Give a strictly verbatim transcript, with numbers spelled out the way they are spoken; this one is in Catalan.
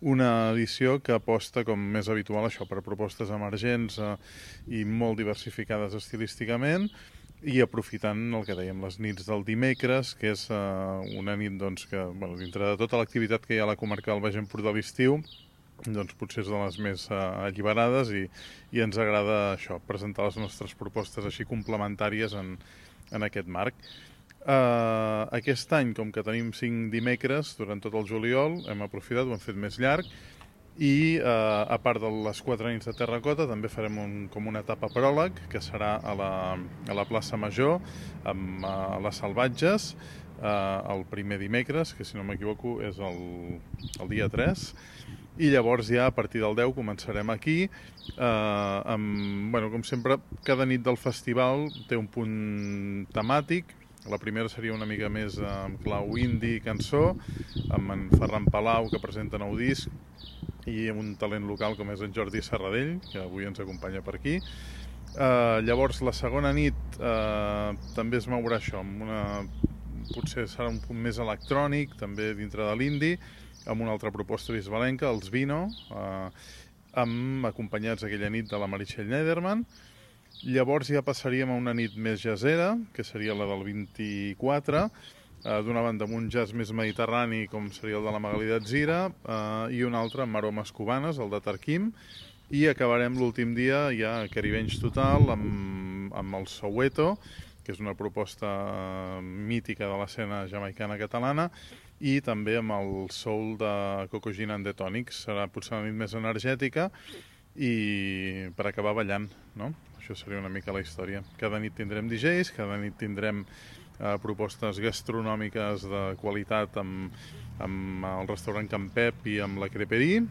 Una edició que aposta, com més habitual, això per propostes emergents eh, i molt diversificades estilísticament, i aprofitant el que dèiem, les nits del dimecres, que és eh, una nit doncs, que, bueno, dintre de tota l'activitat que hi ha a la comarca del Baix Empordà a l'estiu, doncs potser és de les més eh, alliberades i, i ens agrada això, presentar les nostres propostes així complementàries en, en aquest marc. Uh, aquest any, com que tenim cinc dimecres durant tot el juliol, hem aprofitat, ho hem fet més llarg, i uh, a part de les quatre nits de terracota també farem un, com una etapa pròleg que serà a la, a la plaça Major amb uh, les Salvatges uh, el primer dimecres, que si no m'equivoco és el, el dia tres, i llavors ja a partir del deu començarem aquí eh, amb, bueno, com sempre cada nit del festival té un punt temàtic. La primera seria una mica més amb clau indie i cançó, amb en Ferran Palau, que presenta nou disc, i amb un talent local com és en Jordi Serradell, que avui ens acompanya per aquí. Uh, llavors, la segona nit uh, també es mourà això, amb una, potser serà un punt més electrònic, també dintre de l'indie, amb una altra proposta bisbalenca, els Vino, uh, amb acompanyats aquella nit de la Meritxell Nederman. Llavors ja passaríem a una nit més jazzera, que seria la del vint-i-quatre, eh, d'una banda amb un jazz més mediterrani, com seria el de la Magalí d'Atzira, eh, i un altre amb aromes cubanes, el de Tarquim, i acabarem l'últim dia ja caribenys total, amb, amb el Soweto, que és una proposta mítica de l'escena jamaicana catalana, i també amb el soul de Coco Gin and the Tonics. Serà potser una nit més energètica i per acabar ballant, no? Això seria una mica la història. Cada nit tindrem D Js, cada nit tindrem eh, propostes gastronòmiques de qualitat amb, amb el restaurant Can Pep i amb la Creperie,